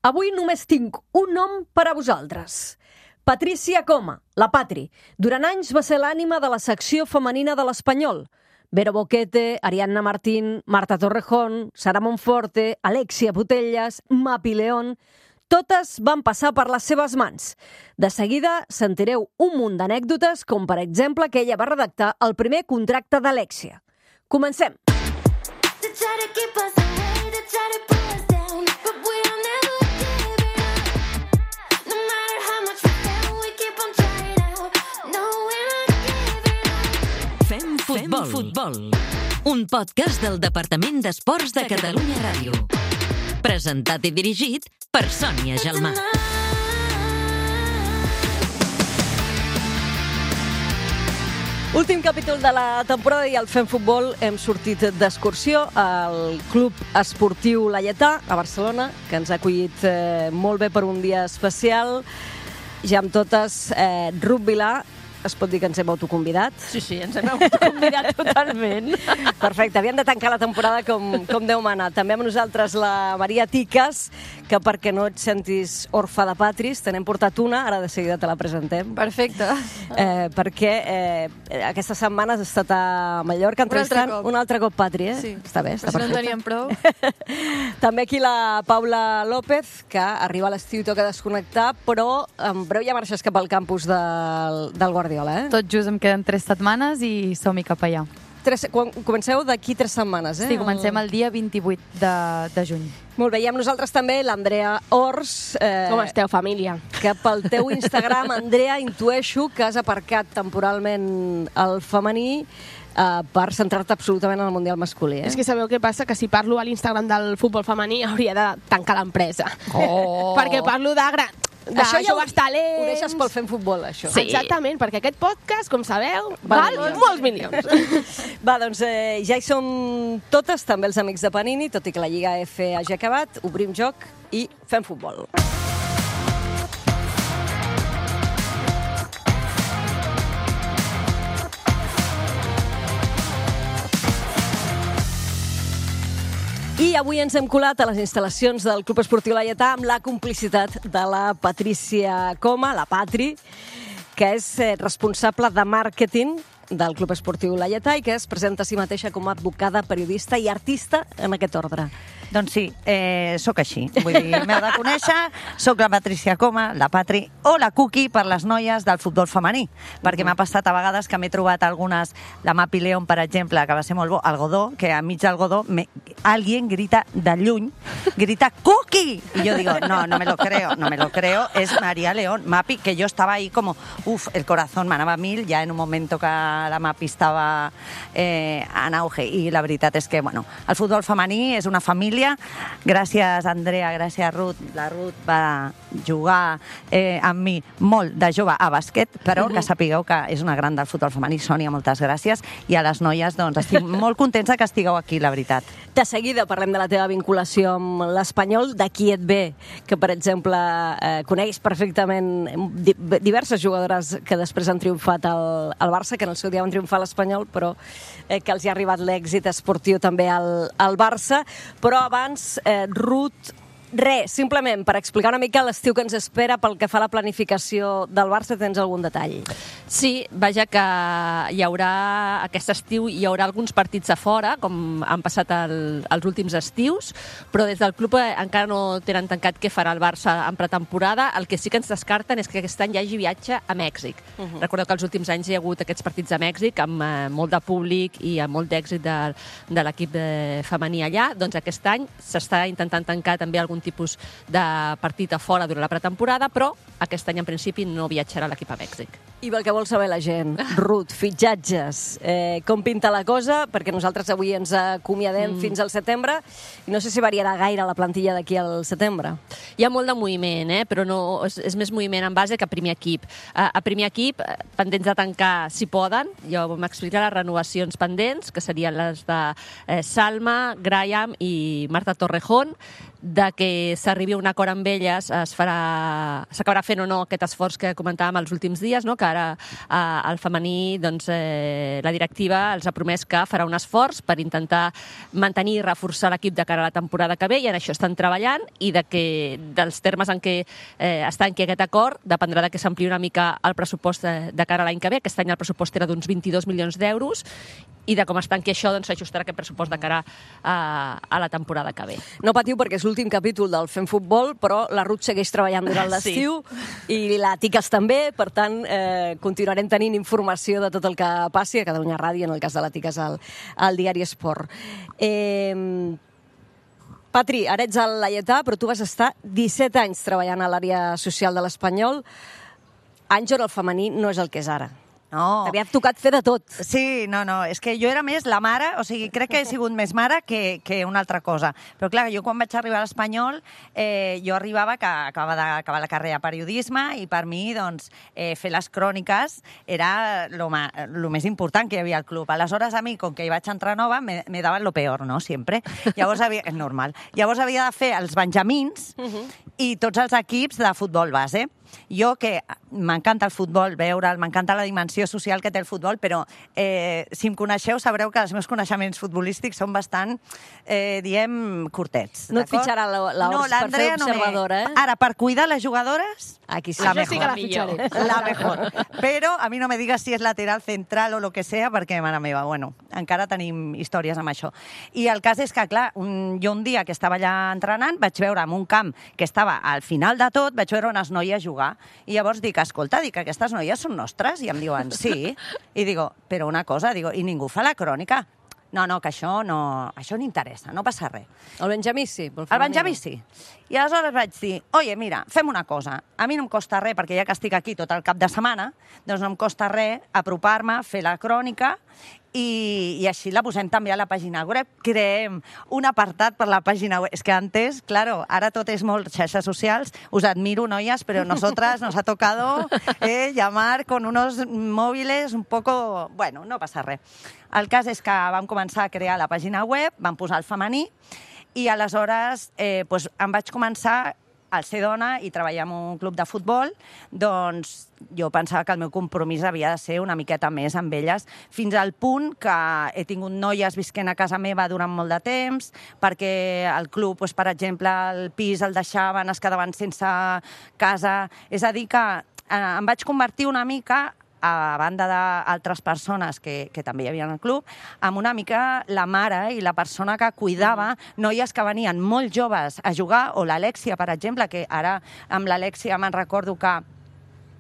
Avui només tinc un nom per a vosaltres. Patricia Coma, la Patri. Durant anys va ser l'ànima de la secció femenina de l'Espanyol. Vero Boquete, Ariadna Martín, Marta Torrejón, Sara Monforte, Alexia Putellas, Mapi León... Totes van passar per les seves mans. De seguida sentireu un munt d'anècdotes, com per exemple que ella va redactar el primer contracte d'Alexia. Comencem! Fem futbol. Un podcast del Departament d'Esports de Catalunya Ràdio. Presentat i dirigit per Sònia Gelmà. Últim capítol de la temporada i al Fem Futbol hem sortit d'excursió al Club Esportiu Laietà a Barcelona, que ens ha acollit molt bé per un dia especial. Ja amb totes, Ruth Vilà, es pot dir que ens hem autoconvidat? Sí, ens hem autoconvidat totalment. Perfecte, havíem de tancar la temporada com Déu mana. També amb nosaltres la Maria Tiques, que perquè no et sentis orfa de Patris, te n'hem portat una, ara de seguida te la presentem. Perfecte. Perquè aquestes setmanes has estat a Mallorca entrevistant un altre cop Patri, Sí. Està bé, està Però si no perfecte. en teníem prou. També aquí la Paula López, que arriba a l'estiu i toca desconnectar, però en breu ja marxes cap al campus del Guardiola, Tot just em queden 3 setmanes i som-hi cap allà. Comenceu d'aquí 3 setmanes, Sí, comencem el dia 28 de juny. Molt bé, i amb nosaltres també l'Andrea Ors. Com esteu, família? Que pel teu Instagram, Andrea, intueixo que has aparcat temporalment el femení per centrar-te absolutament en el Mundial masculí. És que sabeu què passa? Que si parlo a l'Instagram del futbol femení hauria de tancar l'empresa. Oh. Perquè parlo de Això ja joves talents. Ho deixes pel Fem Futbol, això. Sí. Exactament, perquè aquest podcast, com sabeu, val molts milions. Va, doncs ja hi som totes, també els amics de Panini, tot i que la Lliga F hagi acabat, obrim joc i fem futbol. I avui ens hem colat a les instal·lacions del Club Esportiu Laietà amb la complicitat de la Patricia Coma, la Patri, que és responsable de màrqueting del Club Esportiu Laietà i que es presenta a si mateixa com a advocada, periodista i artista en aquest ordre. Doncs sí, sóc així. Vull dir, m'heu de conèixer, sóc la Patricia Coma, la Patri, o la Cookie per les noies del futbol femení, perquè m'ha passat a vegades que m'he trobat algunes, la Mapi León, per exemple, que va ser molt bo, al Godó, que enmig del Godó, alguien grita de lluny, grita Cookie! I jo digo, no me lo creo, es María León, Mapi, que yo estaba ahí como, el corazón m'anava a mil, ja en un momento que la Mapi estava en auge, i la veritat és que, bueno, el futbol femení és una família. Gràcies, Andrea, gràcies, Ruth. La Ruth va jugar amb mi molt de jove a bàsquet, però que sapigueu que és una gran del futbol femení. Sònia, moltes gràcies. I a les noies, doncs, estic molt contenta que estigueu aquí, la veritat. De seguida parlem de la teva vinculació amb l'Espanyol, d'aquí et ve, que, per exemple, coneix perfectament diverses jugadores que després han triomfat al Barça, que en el seu dia van triomfar a l'Espanyol, però que els hi ha arribat l'èxit esportiu també al Barça. Però abans, Ruth, simplement per explicar una mica l'estiu que ens espera pel que fa a la planificació del Barça, tens algun detall? Sí, vaja que hi haurà aquest estiu, hi haurà alguns partits a fora, com han passat els últims estius, però des del club encara no tenen tancat què farà el Barça en pretemporada. El que sí que ens descarten és que aquest any hi hagi viatge a Mèxic. Recordeu que els últims anys hi ha hagut aquests partits a Mèxic amb molt de públic i amb molt d'èxit de l'equip femení allà. Doncs aquest any s'està intentant tancar també algun tipus de partit a fora durant la pretemporada, però aquest any en principi no viatjarà l'equip a Mèxic. I pel que vol saber la gent, Ruth, fitxatges, com pinta la cosa? Perquè nosaltres avui ens acomiadem fins al setembre i no sé si variarà gaire la plantilla d'aquí al setembre. Hi ha molt de moviment, però no, és més moviment en base que a primer equip. A primer equip, pendents de tancar si poden, jo m'explicaré les renovacions pendents, que serien les de Salma, Graham i Marta Torrejón. De que s'arribi a un acord amb elles s'acabarà fent o no aquest esforç que comentàvem els últims dies, no? Que ara al femení la directiva els ha promès que farà un esforç per intentar mantenir i reforçar l'equip de cara a la temporada que ve, i en això estan treballant, i dels termes en què està en aquest acord dependrà de que s'ampliï una mica el pressupost de cara a l'any que ve. Aquest any el pressupost era d'uns 22 milions d'euros, i de com es tanqui això s'ajustarà aquest pressupost de cara a la temporada que ve. No patiu perquè és l'últim capítol del Fem Futbol, però la Ruth segueix treballant durant l'estiu i la Tiques també, per tant continuarem tenint informació de tot el que passi a Catalunya Ràdio, en el cas de la Tiques al Diari Esport. Patri, ara ets al Laietà, però tu vas estar 17 anys treballant a l'àrea social de l'Espanyol. Anys on el femení no és el que és ara. No. T'havia tocat fer de tot. Sí, no, és que jo era més la mare, o sigui, crec que he sigut més mare que una altra cosa. Però clar, jo quan vaig arribar a l'Espanyol, jo arribava que acabava d'acabar la carrera de periodisme, i per mi, doncs, fer les cròniques era el més important que hi havia al club. Aleshores, a mi, com que hi vaig entrar nova, me daven lo peor, no?, sempre. Llavors és normal. Llavors havia de fer els benjamins i tots els equips de futbol base. Jo, que m'encanta el futbol, veure'l, m'encanta la dimensió social que té el futbol, però si em coneixeu sabreu que els meus coneixements futbolístics són bastant, diem, curtets. No et fitxarà l'Ors per fer observadora, eh? Ara, per cuidar les jugadores, aquí sí. la Això sí que la mejor. fitxaré. La mejor. Però a mi no me digues si és lateral, central o lo que sea, perquè, mare meva, bueno, encara tenim històries amb això. I el cas és que, clar, jo un dia que estava allà entrenant vaig veure en un camp que estava al final de tot, vaig veure unes noies jugar. I llavors dic, escolta, aquestes noies són nostres? I em diuen, sí. I digo, però una cosa, i ningú fa la crònica? No, que això no interessa, no passa res. El Benjamí sí. El Benjamí sí. I aleshores vaig dir, oye, mira, fem una cosa. A mi no em costa res, perquè ja que estic aquí tot el cap de setmana, doncs no em costa res apropar-me, fer la crònica, i així la posem també a la pàgina web. Creem un apartat per la pàgina web. És que antes, claro, ara tot és molt xarxes socials. Us admiro, noies, però nosotras nos ha tocado llamar con unos móviles un poco... Bueno, no passa res. El cas és que vam començar a crear la pàgina web, vam posar el femení, i aleshores em vaig començar al ser dona i treballar en un club de futbol, doncs jo pensava que el meu compromís havia de ser una miqueta més amb elles, fins al punt que he tingut noies visquent a casa meva durant molt de temps, perquè el club, per exemple, el pis el deixaven, es quedaven sense casa. És a dir, que em vaig convertir una mica, a banda d'altres persones que també hi havia al club, amb una mica la mare i la persona que cuidava noies que venien molt joves a jugar, o l'Alexia, per exemple, que ara amb l'Alexia me'n recordo que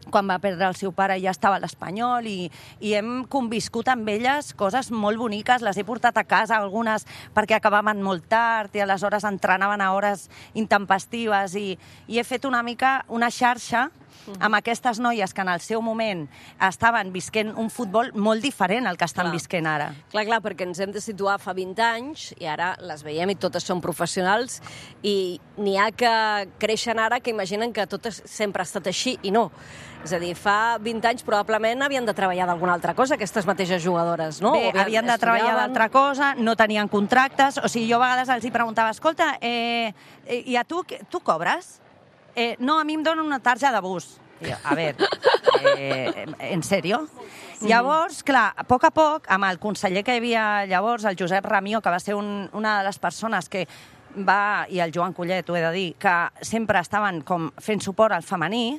quan va perdre el seu pare ja estava a l'Espanyol, i hem conviscut amb elles coses molt boniques, les he portat a casa algunes perquè acabaven molt tard i aleshores entrenaven a hores intempestives, i he fet una mica una xarxa amb aquestes noies que en el seu moment estaven visquent un futbol molt diferent al que estan visquent ara. Clar, perquè ens hem de situar fa 20 anys i ara les veiem i totes són professionals, i n'hi ha que creixen ara que imaginen que tot sempre ha estat així, i no. És a dir, fa 20 anys probablement havien de treballar d'alguna altra cosa, aquestes mateixes jugadores, no? Bé, havien de treballar d'altra cosa, no tenien contractes, o sigui, jo a vegades els hi preguntava, escolta, i a tu cobres? No, a mi em donen una tarja de bus. Jo, a veure, en sèrio? Llavors, clar, a poc, amb el conseller que hi havia llavors, el Josep Ramió, que va ser una de les persones que va, i el Joan Collet, ho he de dir, que sempre estaven com fent suport al femení,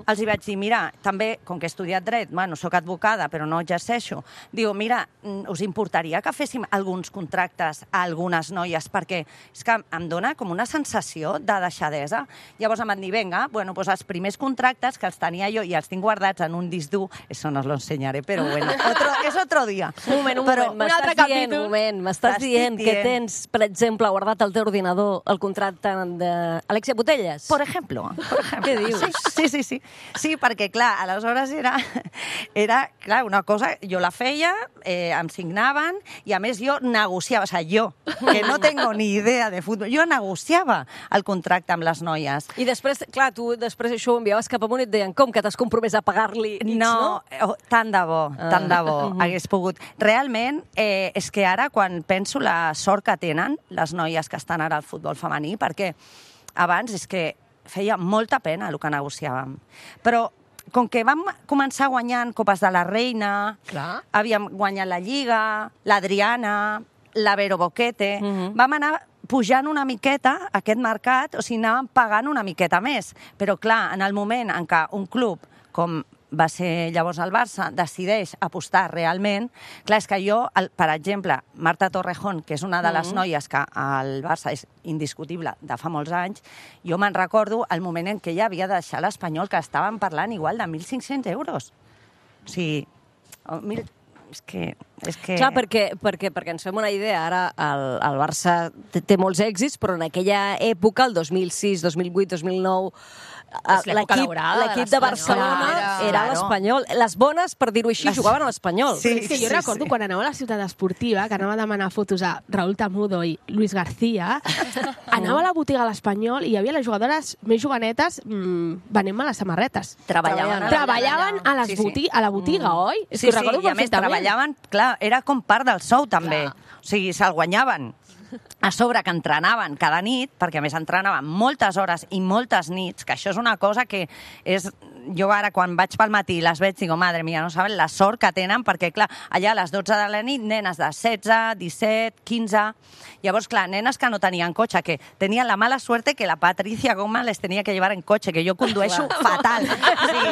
els hi vaig dir, mira, també, com que he estudiat dret, bueno, soc advocada, però no exerceixo, diu, mira, us importaria que féssim alguns contractes a algunes noies, perquè és que em dona com una sensació de deixadesa. Llavors em van dir, vinga, bueno, doncs els primers contractes que els tenia jo i els tinc guardats en un disc dur, això no os lo ensenyaré, però bueno, és otro dia. Un moment, m'estàs dient que tens, per exemple, guardat al teu ordinador el contracte d'Alexia Putellas? Por ejemplo. Què dius? Sí. Sí, perquè, clar, aleshores era clar, una cosa, jo la feia, em signaven, i a més jo negociava, o sigui, jo, que no tengo ni idea de futbol, jo negociava el contracte amb les noies. I després, clar, tu després això ho enviaves cap amunt i et deien, com que t'has compromès a pagar-li X, no? No, tant de bo, hagués pogut. Realment, és que ara, quan penso la sort que tenen les noies que estan ara al futbol femení, perquè abans és que feia molta pena el que negociàvem. Però com que vam començar guanyant Copes de la Reina, Clar. havíem guanyat la Lliga, l'Adriana, la Vero Boquete, vam anar pujant una miqueta aquest mercat, o sigui, anàvem pagant una miqueta més. Però, clar, en el moment en què un club, com va ser llavors el Barça, decideix apostar realment, clar, és que jo, per exemple, Marta Torrejón, que és una de les noies que el Barça és indiscutible de fa molts anys, jo me'n recordo el moment en què ella havia de deixar l'Espanyol, que estaven parlant igual de 1.500 euros. O sigui, és que... Clar, perquè ens fem una idea, ara el Barça té molts èxits, però en aquella època, el 2006, 2008, 2009, l'equip de Barcelona era l'Espanyol. Les bones, per dir-ho així, jugaven a l'Espanyol. Sí, és que jo recordo quan anava a la ciutat esportiva, que anava a demanar fotos a Raúl Tamudo i Luis García, anava a la botiga a l'Espanyol i hi havia les jugadores més jovenetes venent-me les samarretes. Treballaven a la botiga, oi? És que ho recordo i a més treballaven, clar, era com part del sou també. O sigui, se'l guanyaven. A sobre que entrenaven cada nit, perquè a més entrenaven moltes hores i moltes nits, que això és una cosa que és... Jo ara, quan vaig pel matí i les veig, digo, madre mía, no saben la sort que tenen, perquè, clar, allà a les 12 de la nit, nenes de 16, 17, 15... Llavors, clar, nenes que no tenien cotxe, que tenien la mala suerte que la Patricia Goma les tenia que llevar en cotxe, que jo condueixo fatal. Sí,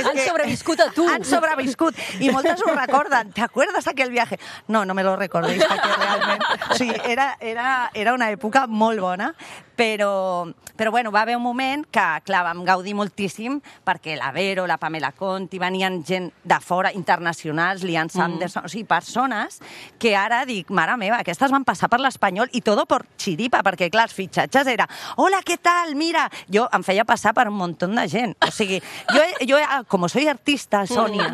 han sobreviscut a tu. Han sobreviscut. I moltes ho recorden. ¿Te acuerdas aquel viaje? No, no me lo recordéis, perquè realment... O sigui, era una època molt bona, però bueno, va haver un moment que, clar, vam gaudir moltíssim perquè la Vero, la Pamela Conti, venien gent de fora, internacionals, Lian Sanderson, o sigui, persones que ara dic, mare meva, aquestes van passar per l'Espanyol i todo por chiripa, perquè, clar, els fitxatges era hola, què tal, mira... Jo em feia passar per un munt de gent. O sigui, jo com soy artista, Sònia,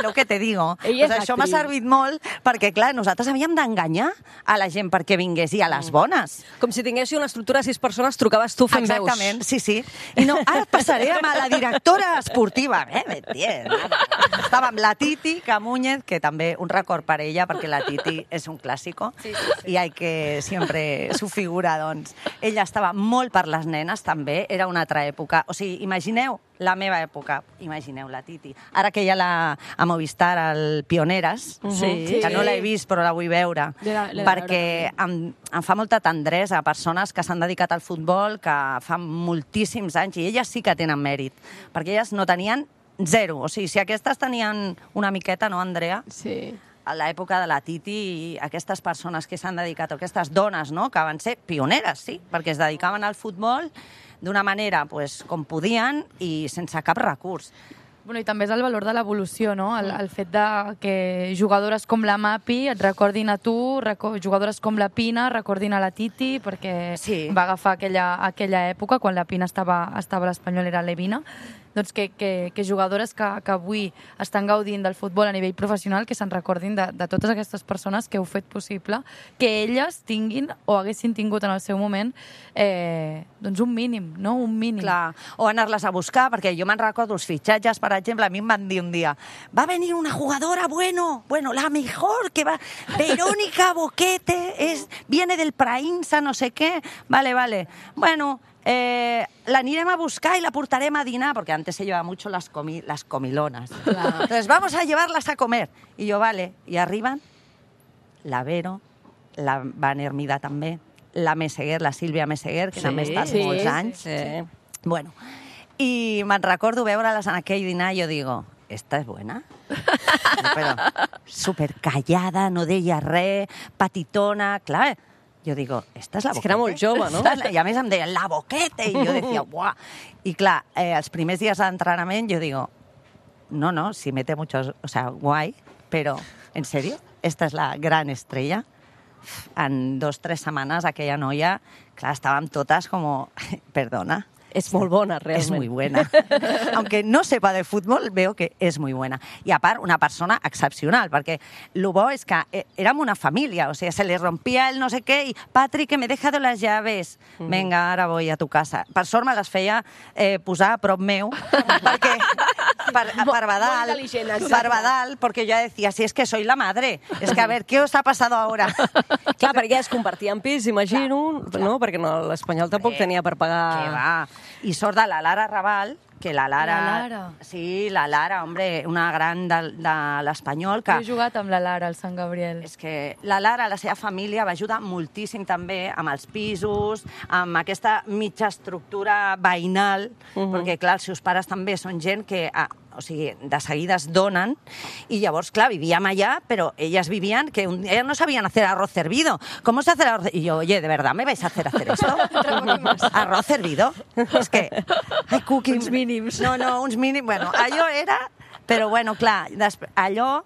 lo que te digo, pues això m'ha servit molt perquè, clar, nosaltres havíem d'enganyar a la gent perquè vingués i a les bones. Com si tinguéssiu una estructura de 6 persones, trucaves tu fent veus. Exactament, sí. I no, ara et passaré amb la directora esportiva. Estava amb la Titi Camúñez, que també un record per ella, perquè la Titi és un clàssico, i hay que sempre su figura, doncs. Ella estava molt per les nenes, també, era una altra època. O sigui, imagineu la meva època, imagineu la Titi. Ara que ja a Movistar, el Pioneres, que no l'he vist però la vull veure, perquè em fa molta tendresa a persones que s'han dedicat al futbol, que fa moltíssims anys, i elles sí que tenen mèrit, perquè elles no tenien zero. O sigui, si aquestes tenien una miqueta, no, Andrea? Sí. A l'època de la Titi i aquestes persones que s'han dedicat, o aquestes dones, no?, que van ser pioneres, sí, perquè es dedicaven al futbol d'una manera pues, com podien i sense cap recurs. Bueno, i també és el valor de l'evolució, no? El fet de que jugadores com la Mapi et recordin a tu, jugadores com la Pina recordin a la Titi, perquè va agafar aquella època, quan la Pina estava a l'Espanyol, era Levina, doncs que jugadores que avui estan gaudint del futbol a nivell professional, que se'n recordin de totes aquestes persones que heu fet possible que elles tinguin o haguessin tingut en el seu moment doncs un mínim, no? Un mínim. Clar, o anar-les a buscar, perquè jo me'n recordo els fitxatges, per exemple, a mi em van dir un dia, va venir una jugadora, bueno, la mejor, que va, Verónica Boquete, viene del Prainsa, no sé què, vale, bueno, l'anirem a buscar y la portarem a dinar, porque antes se llevaba mucho las comilonas. Claro. Entonces, vamos a llevarlas a comer. Y yo, vale, y arriban la Vero, la Van Hermida també, la Meseguer, la Sílvia Meseguer, que també ha estat molts anys. Sí. Bueno, i me'n recordo veure-les en aquell dinar i jo digo, esta es buena. Però super callada, no deia res, petitona, clar. Jo digo, esta es la Boquete. És que era molt jove, no? I a més em deien, la Boquete! I jo decía, buah! I clar, els primers dies d'entrenament jo digo, no, si mete muchos, o sea, guay, pero, ¿en serio? Esta es la gran estrella. En 2-3 setmanes aquella noia, clar, estàvem totes com, perdona, es molt bona, realment. Es muy buena. Aunque no sepa de fútbol, veo que és muy buena. I a part, una persona excepcional, perquè el bo és que érem una família, o sigui, se li rompia el no sé què, i Patri, que me he dejado las llaves. Venga, ara voy a tu casa. Per sort me les feia posar a prop meu, perquè per Badal, perquè jo decía, si es que soy la madre, es que a ver, ¿qué os ha pasado ahora? Clar, perquè es compartien pis, imagino, no? Perquè l'Espanyol tampoc tenia per pagar... Que va. I sort de la Lara Raval, que la Lara... La Lara. Sí, la Lara, hombre, una gran de l'Espanyol. Que... Jo he jugat amb la Lara al Sant Gabriel. És que la Lara, la seva família, va ajudar moltíssim també amb els pisos, amb aquesta mitja estructura veïnal, perquè, clar, els seus pares també són gent que... O sigui, de seguida es donen, i llavors, clar, vivíem allà, però elles vivien que ellas no sabían hacer arroz servido. ¿Cómo se hace el arroz? Y yo, oye, ¿de verdad me vais a hacer esto? ¿Arroz servido? Es que... Ai, Cookie... Uns mínims. No, uns mínims. Bueno, allò era... Però, bueno, clar, allò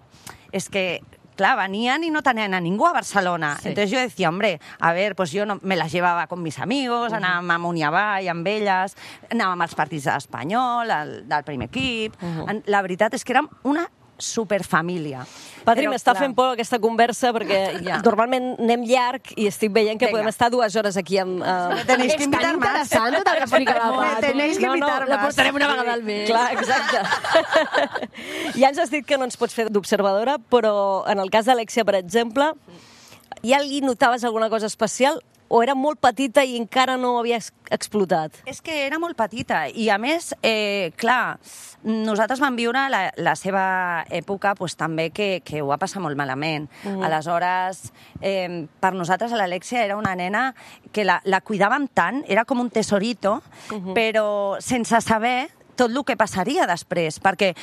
és que... Claro, venían y no tenían a ningú a Barcelona. Sí. Entonces yo decía, hombre, a ver, pues yo no, me las llevaba con mis amigos, anàvem a Muniavall amb elles, anàvem als partits de l'Espanyol, del primer equip... La veritat és que érem una superfamília. Patri, m'està fent por aquesta conversa perquè normalment anem llarg i estic veient que podem estar 2 hores aquí amb... Tenéis que invitar más. És tan interessant tot el que explica la Patri. Tenéis que invitar más. La portarem una vegada al mes. Clar, exacte. Ja ens has dit que no ens pots fer d'observadora, però en el cas d'Alexia, per exemple, ja li notaves alguna cosa especial o era molt petita i encara no havia explotat? És que era molt petita i, a més, clar, nosaltres vam viure la seva època pues, també que ho va passar molt malament. Aleshores, per nosaltres l'Alexia era una nena que la cuidàvem tant, era com un tesorito, però sense saber tot el que passaria després, perquè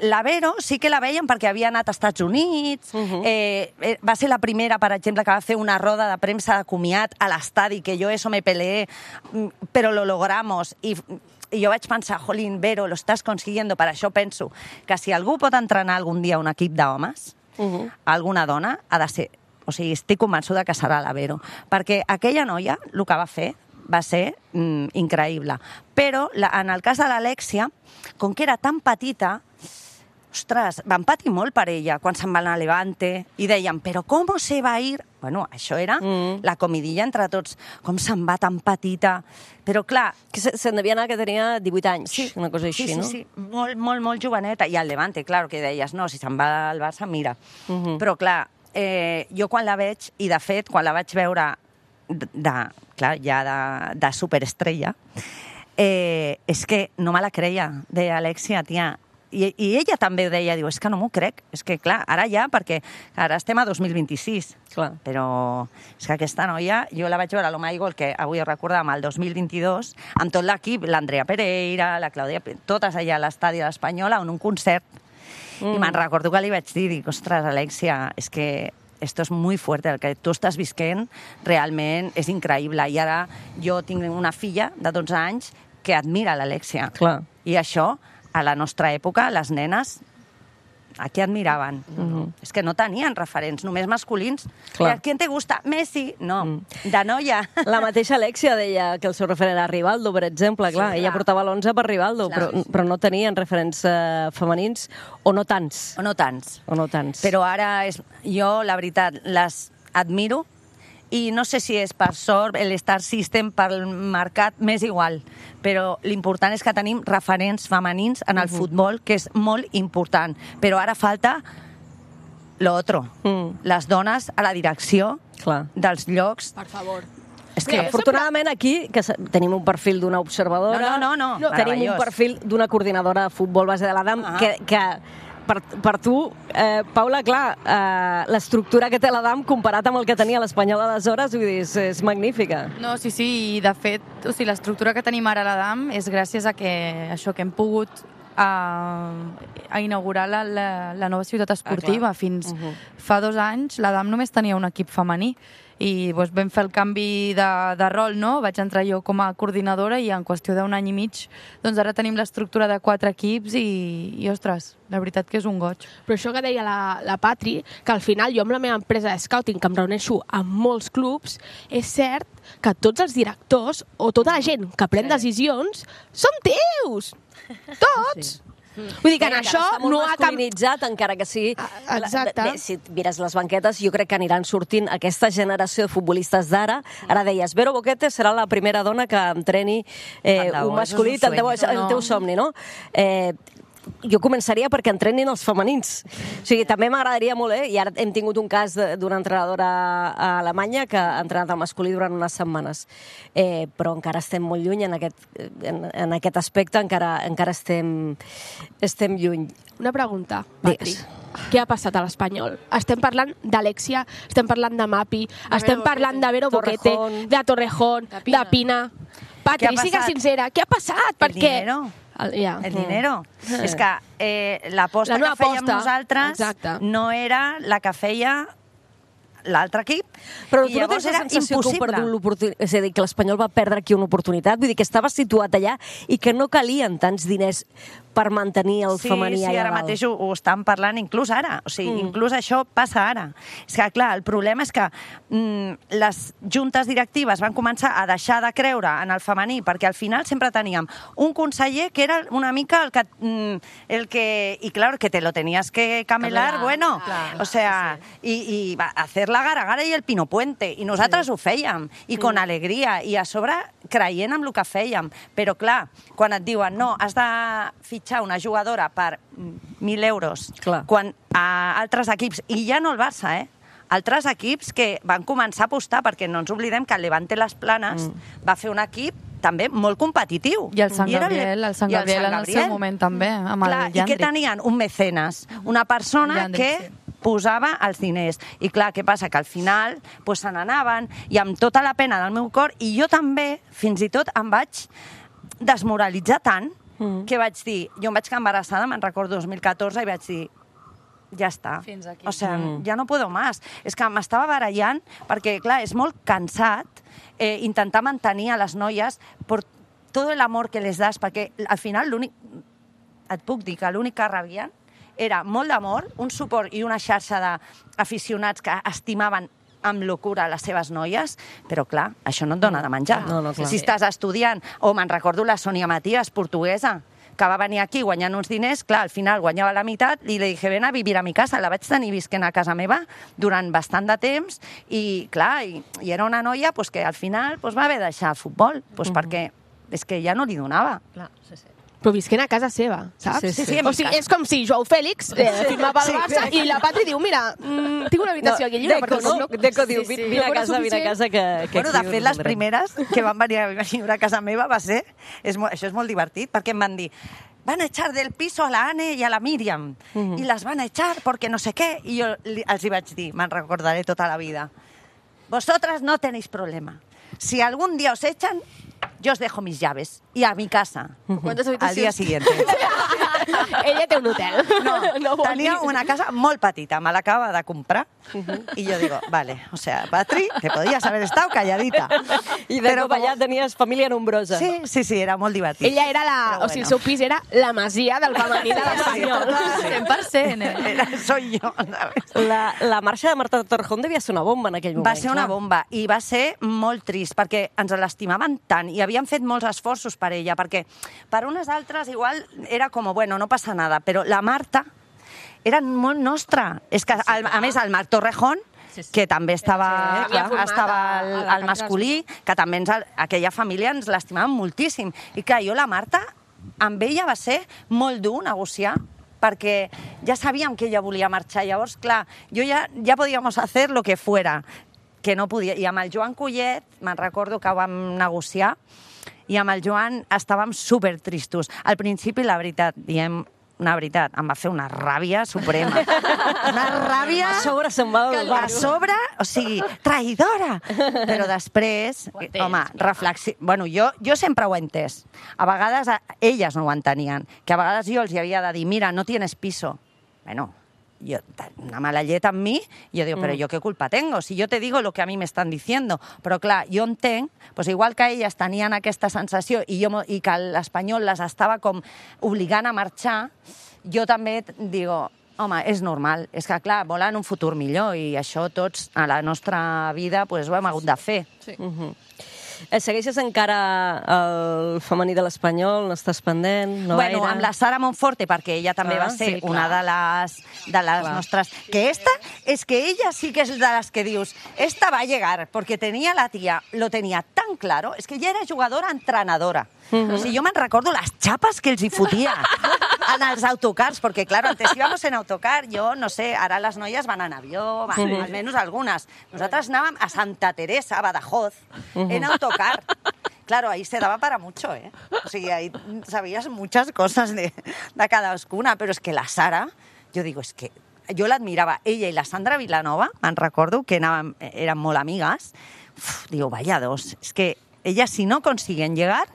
la Vero sí que la veien perquè havia anat als Estats Units, va ser la primera, per exemple, que va fer una roda de premsa de comiat a l'estadi, que jo eso me peleé, però lo logramos, i jo vaig pensar, jolín, Vero, lo estàs consiguiendo, per això penso que si algú pot entrenar algun dia un equip d'homes, alguna dona, ha de ser, o sigui, estic convençuda que serà la Vero, perquè aquella noia, el que va fer, va ser increïble. Però en el cas de l'Alexia, com que era tan petita, ostres, van patir molt per ella quan se'n va anar a Levante i deien, però com se va ir? Bueno, això era la comidilla entre tots. Com se'n va tan petita? Però clar... Que se'n devia anar que tenia 18 anys, una cosa així, no? Sí, molt joveneta. I al Levante, clar, que deies, no, si se'n va al Barça, mira. Però clar, jo quan la veig, i de fet, quan la vaig veure de superestrella, és que no me la creia, deia Alexia, tia. I ella també ho deia, diu, és que no m'ho crec. És que, clar, ara ja, perquè ara estem a 2026. Clar. Però és que aquesta noia, jo la vaig veure a l'Omaigol, que avui ho recordàvem, el 2022, amb tot l'equip, l'Andrea Pereira, la Clàudia, totes allà a l'estadi de l'Espanyola, en un concert. I me'n recordo que li vaig dir, dic, ostres, Alexia, és que esto es muy fuerte, el que tu estàs visquent realment és increïble. I ara jo tinc una filla de 12 anys que admira l'Alexia. Clar. I això, a la nostra època, les nenes, a qui admiraven? És que no tenien referents, només masculins. ¿Quién te gusta? Messi? No, de noia. La mateixa Alexia deia que el seu referent era Rivaldo, per exemple. Clar, ella portava l'11 per Rivaldo, però no tenien referents femenins, o no tants. O no tants. O no tants. Però ara, jo, la veritat, les admiro, i no sé si és per sort, el Star System, pel mercat, m'és igual. Però l'important és que tenim referents femenins en el futbol, que és molt important. Però ara falta l'altre. Les dones a la direcció dels llocs. Per favor. És que, afortunadament, aquí que tenim un perfil d'una observadora, no, tenim un perfil d'una coordinadora de futbol base de l'Adam, que per tu, Paula, clar, l'estructura que té l'Adam comparat amb el que tenia l'Espanyol aleshores, vull dir, és magnífica. No, sí, i de fet, o sigui, l'estructura que tenim ara a l'Adam és gràcies a que això que hem pogut a inaugurar la nova ciutat esportiva. Fins fa 2 anys l'Adam només tenia un equip femení i doncs, vam fer el canvi de rol, no? Vaig entrar jo com a coordinadora i en qüestió d'un any i mig doncs ara tenim l'estructura de 4 equips i ostres, la veritat que és un goig. Però això que deia la Patri, que al final jo amb la meva empresa de scouting, que em reuneixo amb molts clubs, és cert que tots els directors o tota la gent que pren decisions són teus! Tots! Vull dir que en això no ha masculinitzat, encara que sí. Exacte. Si mires les banquetes, jo crec que aniran sortint aquesta generació de futbolistes d'ara. Ara deies, Vero Boquete serà la primera dona que entreni un masculí, tant de bo, és el teu somni, no? jo començaria perquè entrenin els femenins. O sigui, també m'agradaria molt, i ara hem tingut un cas d'una entrenadora a Alemanya que ha entrenat el masculí durant unes setmanes. Però encara estem molt lluny en aquest aspecte, encara estem lluny. Una pregunta, Patri. Què ha passat a l'Espanyol? Estem parlant d'Alexia, estem parlant de Mapi, estem parlant de Vero Boquete, de Torrejón, de Pina. Patri, siga sincera, què ha passat? El dinero. El dinero. És que l'aposta que fèiem nosaltres no era la que feia l'altre equip. Però tu no tens la sensació que heu perdut l'oportunitat? És a dir, que l'Espanyol va perdre aquí una oportunitat? Vull dir, que estava situat allà i que no calien tants diners per mantenir el femení allà dalt. Sí, ara mateix ho estan parlant inclús ara. O sigui, inclús això passa ara. És que, clar, el problema és que les juntes directives van començar a deixar de creure en el femení, perquè al final sempre teníem un conseller que era una mica el que... Y claro, que te lo tenías que camelar, bueno, o sea, y hacer la gara i el Pino Puente, i nosaltres ho fèiem, i con alegria, i a sobre creient en el que fèiem. Però, clar, quan et diuen, no, has de fitxar una jugadora per 1.000 euros, quan a altres equips, i ja no el Barça, altres equips que van començar a apostar, perquè no ens oblidem que el Levante Las Planes va fer un equip també molt competitiu. I el Sant Gabriel en el seu moment també, amb el Jandrik. I què tenien? Un mecenes, una persona que posava els diners. I clar, què passa? Que al final se n'anaven, i amb tota la pena del meu cor, i jo també, fins i tot, em vaig desmoralitzar tant, que vaig dir, jo em vaig quedar embarassada, me'n recordo 2014, i vaig dir, ja està. O sigui, ja no puedo más. És que m'estava barallant, perquè, clar, és molt cansat intentar mantenir a les noies per tot l'amor que les das, perquè al final et puc dir que l'únic que rebien era molt d'amor, un suport i una xarxa d'aficionats que estimaven amb locura les seves noies, però clar, això no et dona de menjar. Si estàs estudiant, o me'n recordo la Sònia Matías, portuguesa, que va venir aquí guanyant uns diners, clar, al final guanyava la meitat, i li dije, ven a vivir a mi casa. La vaig tenir visquent a casa meva durant bastant de temps, i clar, i era una noia que al final va haver de deixar el futbol, perquè és que ja no li donava. Clar, sí. Però visquent a casa seva, saps? Sí, o sigui, és com si Joao Félix firmava el Barça i la Patri diu, mira, tinc una habitació aquí lliure. Deco diu, vine a casa que... Bueno, de fet, les primeres que van venir a viure a casa meva va ser... Això és molt divertit, perquè em van dir, van a echar del piso a la Anne y a la Míriam, y las van a echar porque no sé qué. I jo els hi vaig dir, me'n recordaré tota la vida, vosotras no tenéis problema. Si algún día os echan, yo os dejo mis llaves y a mi casa al día siguiente. Ella té un hotel. No, tenia una casa molt petita, me l'acaba de comprar, i jo digo, vale, o sea, Patri, te podías haver estado calladita. I de cop allà tenies família nombrosa. Sí, era molt divertit. Ella era o sigui, el seu pis era la masia del femení de l'Espanyol. 100%. Soy yo, ¿sabes? La marxa de Marta Torrejón devia ser una bomba en aquell moment. Va ser una bomba, i va ser molt trist, perquè ens l'estimaven tant, i havien fet molts esforços per ella, perquè per unes altres igual era com, bueno, no passa nada, però la Marta era molt nostra. És que, a més, el Marc Torrejón, que també estava al masculí, que també aquella família ens l'estimaven moltíssim. I clar, jo la Marta, amb ella va ser molt dur negociar, perquè ja sabíem que ella volia marxar. Llavors, clar, jo ja podíamos hacer lo que fuera, que no podia. I amb el Joan Collet, me'n recordo que ho vam negociar, i amb el Joan estàvem supertristos. Al principi, la veritat, diem una veritat, em va fer una ràbia suprema. Una ràbia... A sobre se'n va del bar. A sobre, o sigui, traïdora. Però després, home, reflexió... Bueno, jo sempre ho he entès. A vegades elles no ho entenien. Que a vegades jo els havia de dir, mira, no tienes piso. Bueno, una mala llet amb mi, jo digo, però jo què culpa tengo? Si jo te digo lo que a mi m'estan diciendo. Però clar, jo entenc, pues igual que elles tenien aquesta sensació i que l'Espanyol les estava com obligant a marxar, jo també digo, home, és normal, és que clar, volen un futur millor i això tots a la nostra vida pues, ho hem hagut de fer. Sí. Segueixes encara el femení de l'Espanyol? N'estàs pendent? No bueno, amb la Sara Monforte, perquè ella també va ser una de les nostres... Que esta, es que ella sí que és de les que dius, esta va a llegar, porque tenía la tía, lo tenía tan claro, es que ella era jugadora entrenadora. O sigui, jo me'n recordo les xapes que els hi fotia en els autocars, perquè, claro, antes íbamos en autocar, yo no sé, ara les noies van en avió, almenys algunes. Nosaltres anàvem a Santa Teresa, a Badajoz, en autocar. Claro, ahí se daba para mucho, ¿eh? O sigui, ahí sabías muchas cosas de cadascuna, però és que la Sara, jo digo, és que jo l'admirava. Ella i la Sandra Vilanova, me'n recordo, que eren molt amigues. Digo, vaya dos. És que elles si no consiguen llegar,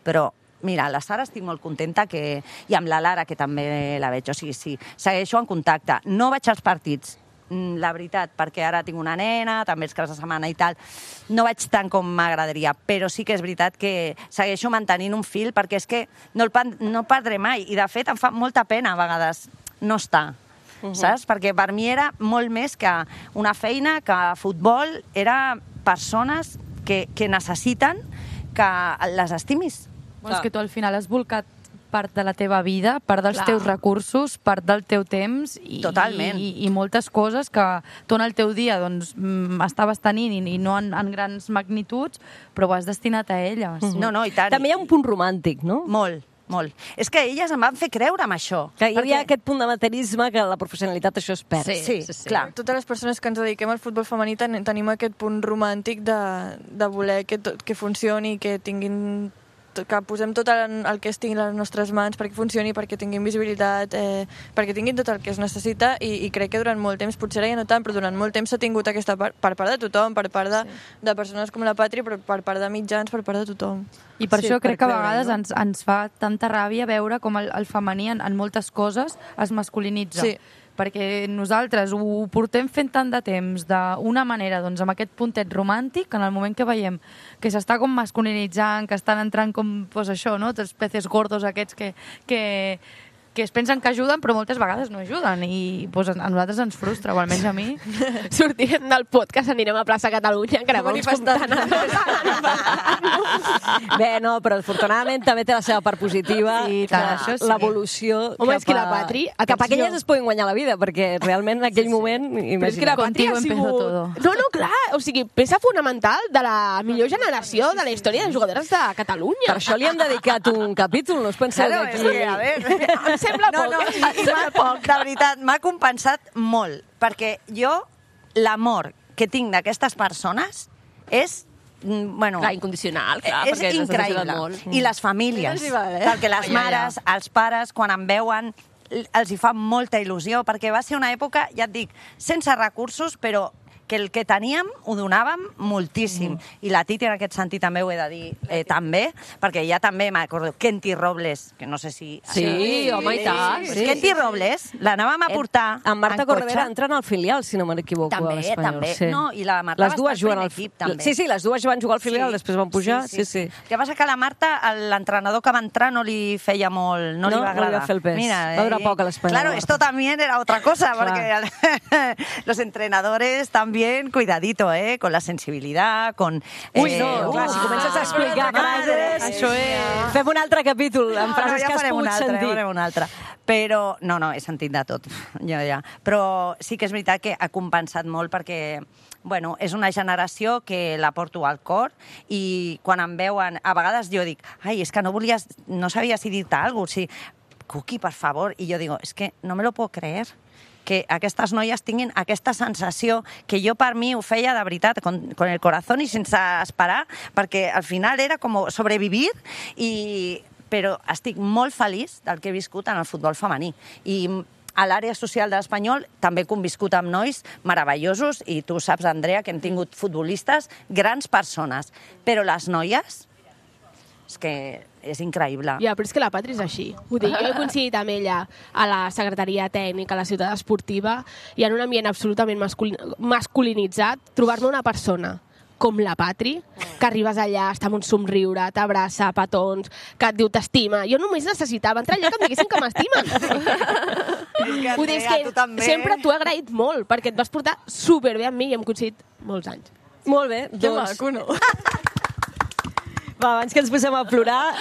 però mira, la Sara estic molt contenta i amb la Lara, que també la veig. O sigui, sí, segueixo en contacte. No vaig als partits, la veritat, perquè ara tinc una nena, també els caps de setmana i tal, no vaig tant com m'agradaria, però sí que és veritat que segueixo mantenint un fil, perquè és que no perdré mai, i de fet em fa molta pena a vegades no estar, saps? Perquè per mi era molt més que una feina, que futbol, era persones que necessiten que les estimis. És que tu al final has volcat part de la teva vida, part dels teus recursos, part del teu temps i moltes coses que tu en el teu dia doncs, estaves tenint i no en grans magnituds, però ho has destinat a elles. No, i tant. També hi ha un punt romàntic, no? Molt. És que elles em van fer creure amb això. Que hi havia aquest punt de materialisme que la professionalitat això es perd. Sí, clar. Totes les persones que ens dediquem al futbol femení tenim aquest punt romàntic de voler que funcioni, que tinguin que posem tot el que estigui a les nostres mans perquè funcioni, perquè tinguin visibilitat, perquè tinguin tot el que es necessita i crec que durant molt temps, potser ara ja no tant, però durant molt temps s'ha tingut aquesta part, per part de tothom, per part de persones com la Patri, però per part de mitjans, per part de tothom. I per això crec que a vegades ens fa tanta ràbia veure com el femení en moltes coses es masculinitza. Sí. Perquè nosaltres ho portem fent tant de temps d'una manera, doncs, amb aquest puntet romàntic, en el moment que veiem que s'està com masculinitzant, que estan entrant com, doncs això, no?, els peces gordos aquests que es pensen que ajuden, però moltes vegades no ajuden, i doncs, a nosaltres ens frustra, o almenys a mi. Sortirem del podcast, anirem a plaça Catalunya, que anem manifestant. Bé, no, però afortunadament també té la seva part positiva, l'evolució cap a que elles es puguin guanyar la vida, perquè realment en aquell moment, imagina't. Contigo empezó todo. No, clar, o sigui, peça fonamental de la millor generació de la història de jugadores de Catalunya. Per això li hem dedicat un capítol, no us penseu que a veure... Sembla poc. De veritat, m'ha compensat molt, perquè jo, l'amor que tinc d'aquestes persones és... Bueno, clar, incondicional, clar, és increïble. I les famílies, perquè les mares, els pares, quan em veuen, els hi fa molta il·lusió, perquè va ser una època, ja et dic, sense recursos, però que el que teníem ho donàvem moltíssim. I la Titi en aquest sentit també ho he de dir, també, perquè ja també m'acordo, Kenty Robles, que no sé si... Sí, home, i tant. Kenty Robles, l'anàvem a portar en Marta Corredera entren al filial, si no m'equivoco, a l'Espanyol. També, no, i la Marta les dues juguen al equip, també. Sí, les dues van jugar al filial, després van pujar, sí. El que passa que a la Marta, l'entrenador que va entrar no li feia molt, no li va agradar. No li va fer el pes, va durar poc a l'Espanyol. Claro, esto también era otra cosa, porque los entrenadores también cuidadito, con la sensibilidad, con... Uy, no, clar, si comences a explicar frases... Això és... Fem un altre capítol, amb frases que has pogut sentir. Ja farem un altre. Però, no, he sentit de tot, ja. Però sí que és veritat que ha compensat molt perquè, bueno, és una generació que la porto al cor i quan em veuen, a vegades jo dic, ai, és que no sabia si dir-te alguna cosa, Cuqui, per favor, i jo digo, és que no me lo puedo creer, que aquestes noies tinguin aquesta sensació que jo per mi ho feia de veritat, con el corazón i sense esperar, perquè al final era com sobrevivir, però estic molt feliç del que he viscut en el futbol femení. I a l'àrea social de l'Espanyol també he conviscut amb nois meravellosos, i tu saps, Andrea, que hem tingut futbolistes, grans persones, però les noies, és que és increïble. Ja, però és que la Patri és així. Vull dir, jo he coincidit amb ella a la secretaria tècnica, a la ciutat esportiva, i en un ambient absolutament masculinitzat, trobar-me una persona com la Patri, que arribes allà, està amb un somriure, t'abraça, petons, que et diu t'estima. Jo només necessitava entrar allà que em diguessin que m'estimen. Vull dir, és que sempre t'ho he agraït molt, perquè et vas portar superbé amb mi i hem coincidit molts anys. Molt bé, doncs... Que maco, no? Va, abans que ens posem a plorar,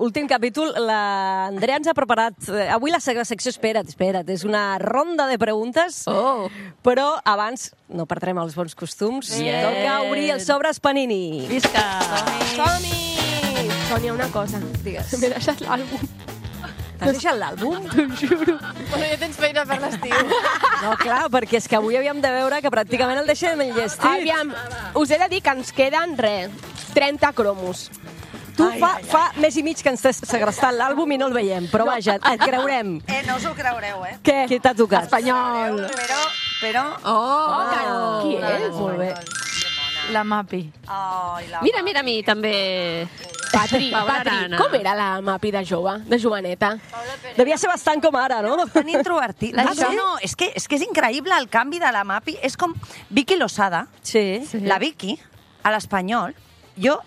últim capítol, l'Andrea ens ha preparat... Avui la secció, espera't, és una ronda de preguntes, però abans no perdrem els bons costums. Toca obrir els sobres Panini. Visca! Som-hi! Sònia, una cosa. Digues. M'he deixat l'àlbum T'has deixat l'àlbum? T'ho juro. Bueno, ja tens feina per l'estiu. No, clar, perquè és que avui havíem de veure que pràcticament el deixem enllestit. Aviam, us he de dir que ens queden, 30 cromos. Tu fa mes i mig que ens t'has segrestat l'àlbum i no el veiem, però vaja, et creurem. No us ho creureu, Què? Qui t'ha tocat? Espanyol. Però... Qui és? Molt bé. La Mapi. Mira, a mi també... Patri, Arana. com era la Mapi de jove, de joveneta? Devia ser bastant com ara, no? Tan introvertit. No, és que és increïble el canvi de la Mapi. És com Vicky Losada. Sí. La Vicky, a l'Espanyol, jo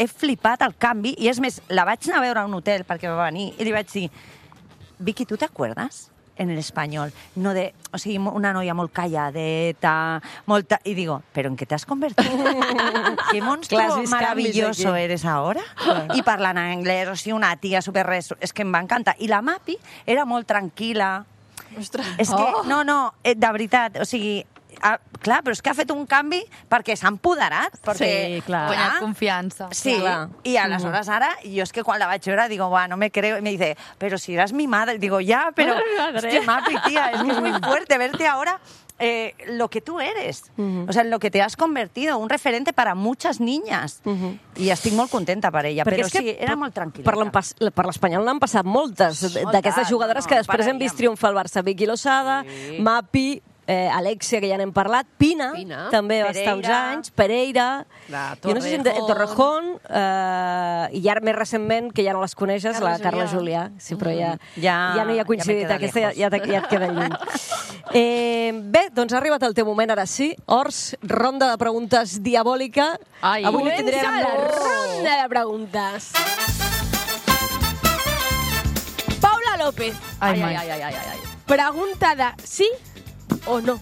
he flipat el canvi, i és més, la vaig anar a veure a un hotel perquè va venir, i li vaig dir, Vicky, ¿tú te acuerdas? En el español, no de, o sigui, una noia molt calladeta, molta... I digo, ¿pero en qué te has convertido? ¿Qué monstruo maravilloso eres ahora? I parlant en anglès, o sigui, una tia super res... És que em va encantar. I la Mapi era molt tranquil·la. Ostres. És que, no, de veritat, o sigui... clar, però és que ha fet un canvi perquè s'ha empoderat. Sí, clar. Guanyat confiança. Sí, y aleshores ara, jo és que quan la vaig veure digo, no me creo, y me dice, pero si eras mi madre. Digo, ya, pero, hostia, Mapi, tía, es que es muy fuerte verte ahora lo que tú eres, o sea, en lo que te has convertido, un referente para muchas niñas. I estic molt contenta per ella, però sí, era molt tranquil·la. Per l'Espanyol n'han passat moltes d'aquestes jugadores que després hem vist triomfar al Barça. Vicky Losada, Mapi, Alexia, que ja n'hem parlat, Pina, també va estar uns anys, Pereira, jo no sé si Torrejón, i ara més recentment, que ja no les coneixes, la Carla Julià. Sí, però ja no hi ha coincidit, aquesta ja et queda lluny. Bé, doncs ha arribat el teu moment, ara sí. Ors, ronda de preguntes diabòlica. Avui no tindrem la ronda de preguntes. Paula López. Ai. Pregunta de sí o no.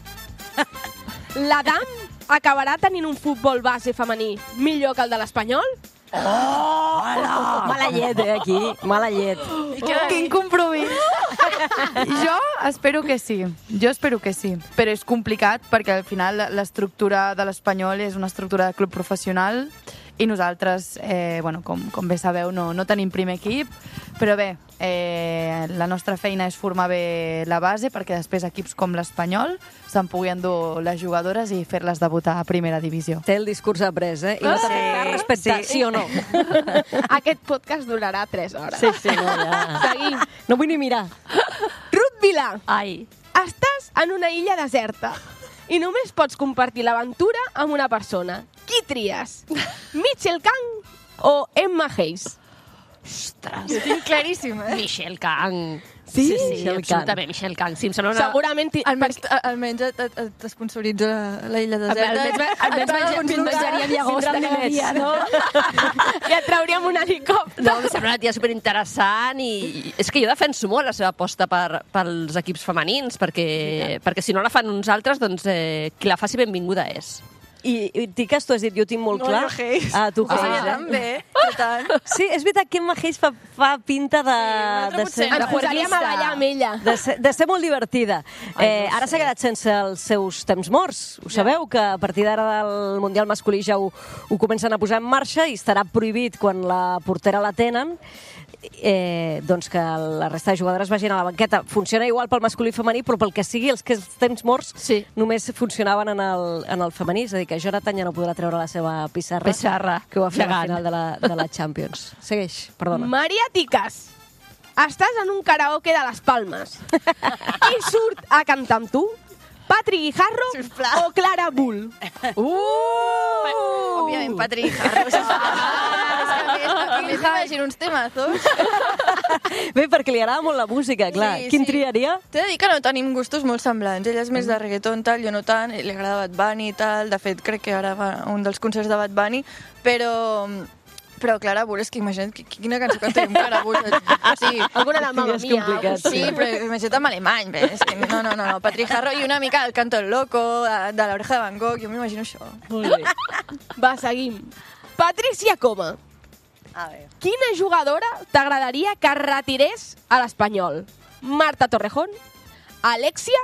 L'Adam acabarà tenint un futbol base femení millor que el de l'Espanyol? Mala llet, aquí. Mala llet. Quin compromís. Jo espero que sí. Però és complicat perquè al final l'estructura de l'Espanyol és una estructura de club professional i nosaltres, com bé sabeu, no tenim primer equip, però bé, la nostra feina és formar bé la base perquè després equips com l'Espanyol se'n puguin endur les jugadores i fer-les debutar a primera divisió. Té el discurs après, I no t'ha fet cas respecte, sí o no? Aquest podcast durarà 3 hores. Sí, no, ja. Seguim. No vull ni mirar. Ruth Vilà. Ai. Estàs en una illa deserta i només pots compartir l'aventura amb una persona. Qui tries? Mitchell Kang o Emma Hayes? Ostres. Jo tinc claríssim, Michelle Kang. Sí? Absolutament, Michelle Kang. Sí, em sembla una... Segurament... Almenys t'esponsoritza la illa deserta. Almenys menjaríem llagosta cada dia, no? I et trauríem un helicòpter. No, em sembla una tia superinteressant i és que jo defenso molt la seva aposta pels equips femenins perquè si no la fan uns altres, doncs qui la faci benvinguda és. I Tiques, tu has dit, jo tinc molt clar. No, Hayes. Tu Ah, Hayes, també, per tant. Sí, és veritat que Emma Hayes fa pinta de ser... Ens posaríem a ballar amb ella. De ser molt divertida. Ara s'ha quedat sense els seus temps morts. Ho sabeu, que a partir d'ara del Mundial masculí ja ho comencen a posar en marxa i estarà prohibit quan la portera la tenen doncs que la resta de jugadores vagin a la banqueta. Funciona igual pel masculí i femení, però pel que sigui, els temps morts només funcionaven en el femení. És a dir, que Jonathan ja no podrà treure la seva pissarra. Que ho va fer al final de la Champions. Segueix, perdona. Maria Tiques, estàs en un karaoke de les Palmes. Qui surt a cantar amb tu? Patri Guijarro o Clara Bull? Òbviament, Patri Guijarro. M'imagino uns temazos. Bé, perquè li agrada molt la música, clar. Quin triaria? T'he de dir que no tenim gustos molt semblants. Ella és més de reggaeton, tal, jo no tant. Li agrada Bad Bunny i tal. De fet, crec que ara va a un dels concerts de Bad Bunny. Però Clara Bull, és que imagina't quina cançó cantaríem Clara Bull. Sí, alguna de Mamma Mia. Sí, però imagina't en alemany. És que no. Patri Guijarro i una mica el Canto el Loco, de l'Oreja de Van Gogh, jo m'imagino això. Molt bé. Va, seguim. Patricia Coma. A veure. Quina jugadora t'agradaria que retirés a l'Espanyol? Marta Torrejón, Alexia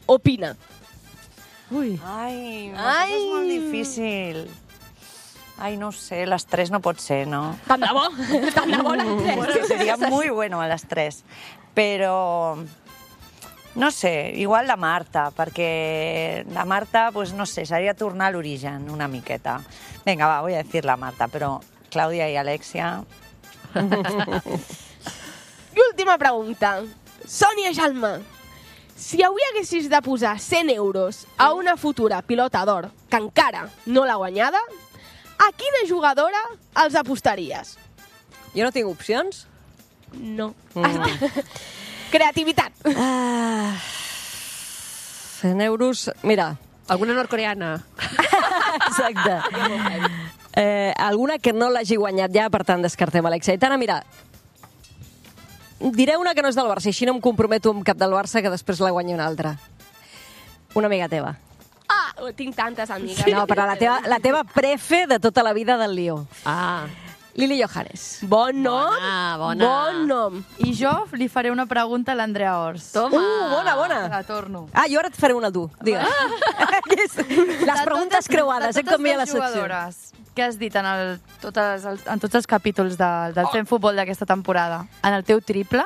o Pina? Ai, és molt difícil. Ai, no ho sé, les 3 no pot ser, no? Tant de bo, tant de bo les 3. Bueno, sería muy bueno a las 3. Pero, no sé, igual la Marta, perquè la Marta, pues no sé, seria tornar a l'origen una miqueta. Venga, va, voy a decir la Marta, però Clàudia i Alexia... I última pregunta. Sònia Jalma, si avui haguessis de posar 100 euros a una futura pilota d'or que encara no l'ha guanyada, a quina jugadora els apostaries? Jo no tinc opcions? No. Creativitat. 100 euros... Mira, Alguna nord-coreana. exacte. Alguna que no l'hagi guanyat ja, per tant, descartem Alexia. Aitana, mira, diré una que no és del Barça, així no em comprometo amb cap del Barça que després la guanyi una altra. Una amiga teva. Tinc tantes amigues. No, però la teva prefe de tota la vida del Lió. Lili Johannes. Bon nom. Bona. Bon nom. I jo li faré una pregunta a l'Andrea Ors. Toma. Bona. La torno. Jo ara et faré una a tu. Digues. Les preguntes creuades, com hi ha la secció. Jugadores que has dit en tots els capítols del Fem Futbol d'aquesta temporada, en el teu triple,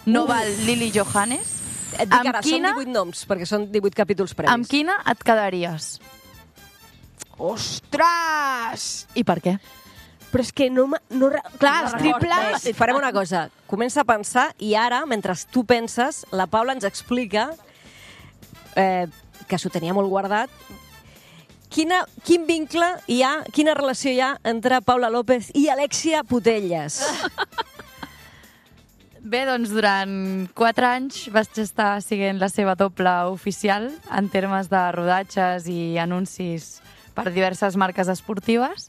no val Lili Johannes? Et dic ara, són 18 noms, perquè són 18 capítols previs. Amb quina et quedaries? Ostres! I per què? Però és que clar, els triples... Farem una cosa. Comença a pensar i ara, mentre tu penses, la Paula ens explica que s'ho tenia molt guardat. Quin vincle hi ha, quina relació hi ha entre Paula López i Alexia Putellas? Bé, doncs durant 4 anys vaig estar siguent la seva doble oficial en termes de rodatges i anuncis per diverses marques esportives.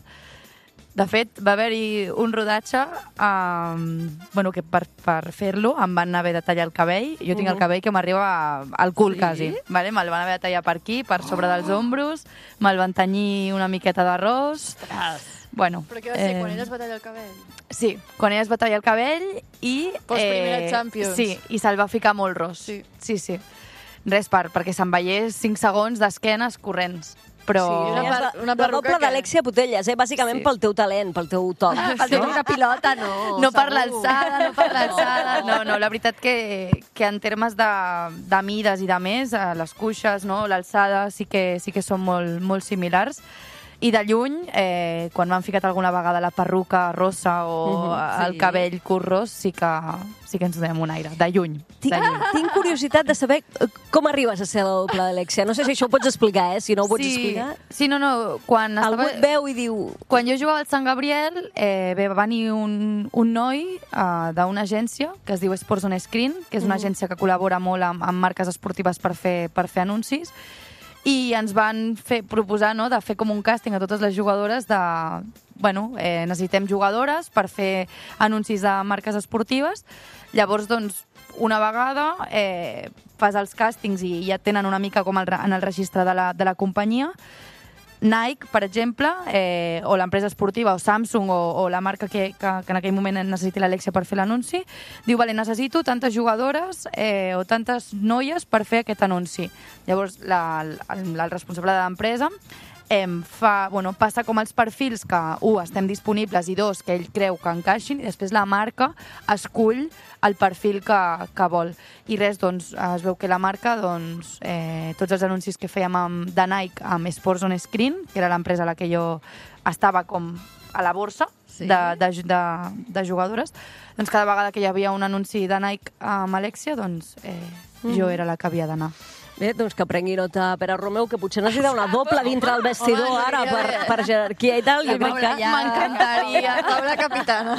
De fet, va haver-hi un rodatge que per fer-lo em van haver de tallar el cabell. Jo tinc el cabell que m'arriba al cul, quasi. Vale? Me'l van haver de tallar per aquí, per sobre dels ombros, me'l van tenyir una miqueta d'arròs. Bueno, però què va ser, quan ella es va tallar el cabell? Sí, quan ella es va tallar el cabell i... Post-primera Champions. Sí, i se'l va ficar molt ros. Sí. Res perquè se'n veiés 5 segons d'esquenes corrents. Però... Sí, una la doble d'Alexia Putellas, bàsicament pel teu talent, pel teu toc. Pel teu una pilota, no. No per l'alçada, No, la veritat que en termes de mides i de més, les cuixes, no, l'alçada sí que són molt similars. I de lluny, quan m'han ficat alguna vegada la perruca rossa o el cabell curt ros, sí que ens donem un aire, de lluny. Tinc curiositat de saber com arribes a ser la doble d'Alexia. No sé si això ho pots explicar, si no ho pots explicar. Sí, no. Algú et veu i diu... Quan jo jugava al Sant Gabriel, va venir un noi d'una agència que es diu Sports on Screen, que és una agència que col·labora molt amb marques esportives per fer anuncis, i ens van proposar de fer com un càsting a totes les jugadores necessitem jugadores per fer anuncis de marques esportives. Llavors, doncs, una vegada fas els càstings i ja tenen una mica com en el registre de la companyia. Nike, per exemple, o l'empresa esportiva, o Samsung, o la marca que en aquell moment necessiti l'Alexia per fer l'anunci, diu, vale, necessito tantes jugadores o tantes noies per fer aquest anunci. Llavors, el responsable de l'empresa passa com els perfils que, estem disponibles, i 2, que ell creu que encaixin, i després la marca escull el perfil que vol. I res, doncs, es veu que la marca, tots els anuncis que fèiem de Nike amb Sports on Screen, que era l'empresa a la que jo estava com a la borsa de jugadores, doncs cada vegada que hi havia un anunci de Nike amb Alexia, doncs jo era la que havia d'anar. Bé, doncs que prengui nota Pere Romeu, que potser necessita una doble dintre del vestidor ara per jerarquia i tal. Jo crec que... M'encantaria. Paula capitana.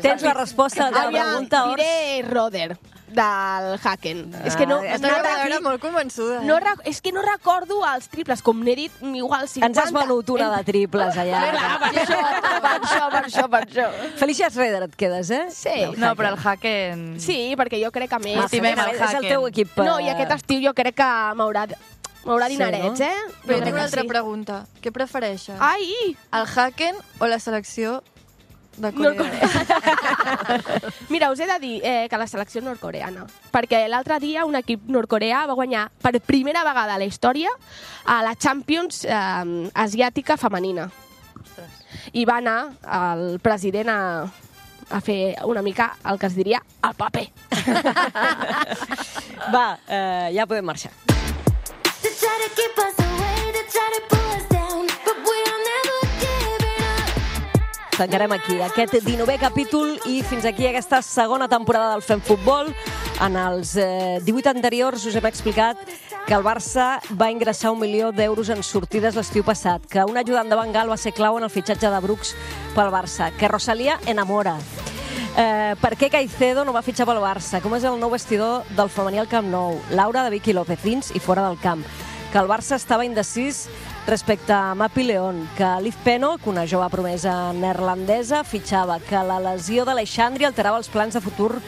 Tens la resposta a la pregunta, Ors? Diré Roder, del Haken. És que no... Estava molt convençuda. És que no recordo els triples, com n'he dit, igual 50. Ens has venut una de triples allà. Per això. Felicia Schroeder et quedes, eh? Sí. No, però el Haken... Sí, perquè jo crec que més... Estimem el és el teu equip. No, i aquest estiu jo crec que m'haurà dinerets, eh? Però tinc una altra pregunta. Què prefereixes? Ai! El Haken o la selecció de Corea? Mira, us he de dir que la selecció nord-coreana, perquè l'altre dia un equip nord-coreà va guanyar per primera vegada a la història a la Champions asiàtica femenina. I va anar el president a fer una mica el que es diria el paper. Va, ja podem marxar. Tancarem aquí aquest 19è capítol i fins aquí aquesta segona temporada del Fem Futbol. En els 18 anteriors us hem explicat que el Barça va ingressar 1 milió d'euros en sortides l'estiu passat, que un ajudant de Van Gaal va ser clau en el fitxatge de Brooks pel Barça, que Rosalía enamora. Per què Caicedo no va fitxar pel Barça? Com és el nou vestidor del femení al Camp Nou? Laura de Vicky López, dins i fora del camp. Que el Barça estava indecís respecte a Mapi León, que Liv Pennock, una jove promesa neerlandesa, fitxava, que la lesió d'Alexandri alterava els plans de futur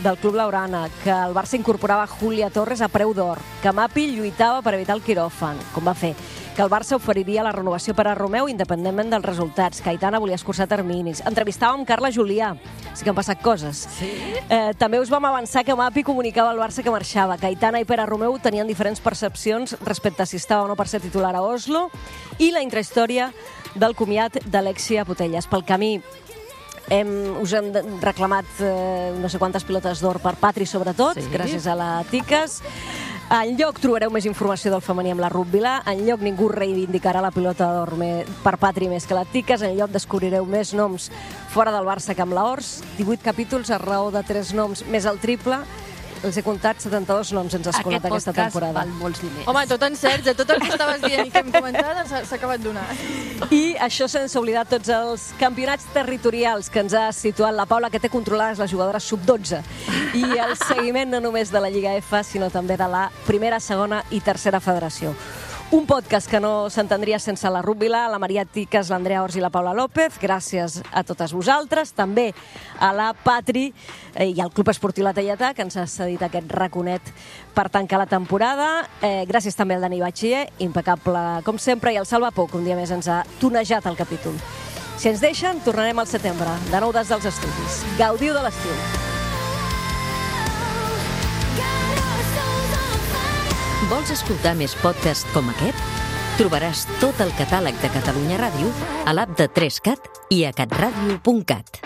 del Club Laurana, que el Barça incorporava Julia Torres a preu d'or, que Mapi lluitava per evitar el quiròfan, com va fer, que el Barça oferiria la renovació per a Romeu independentment dels resultats, que Aitana volia escurçar terminis. Entrevistàvem Carla Julià, sí que han passat coses. Sí? També us vam avançar que Mapi comunicava al Barça que marxava, que Aitana i Pere Romeu tenien diferents percepcions respecte a si estava o no per ser titular a Oslo, i la intrahistòria del comiat d'Alexia Putellas. Pel camí us hem reclamat no sé quantes pilotes d'or per Patri, sobretot, gràcies a la Tiques. Enlloc trobareu més informació del femení amb la Ruth Vilà, enlloc ningú reivindicarà la pilota d'or per Patri més que la Tiques, enlloc descobrireu més noms fora del Barça que amb la Ors, 18 capítols a raó de 3 noms més el triple. Els he comptat 72 noms ens has colat aquesta temporada. Aquest podcast val molts diners. Home, tot encert, tot el que estaves dient i que hem comentat s'ha acabat donant. I això sense oblidar tots els campionats territorials que ens ha situat la Paula, que té controlades les jugadores sub-12. I el seguiment no només de la Lliga F, sinó també de la primera, segona i tercera federació. Un podcast que no s'entendria sense la Ruth Vilà, la Maria Tiques, l'Andrea Ors i la Paula López. Gràcies a totes vosaltres. També a la Patri i al Club Esportiu La Teietà, que ens ha cedit aquest raconet per tancar la temporada. Gràcies també al Dani Batxier, impecable com sempre, i al Salva Pou, que un dia més ens ha tonejat el capítol. Si ens deixen, tornarem al setembre, de nou des dels estudis. Gaudiu de l'estiu. Vols escoltar més podcasts com aquest? Trobaràs tot el catàleg de Catalunya Ràdio a l'app de 3cat i a catradio.cat.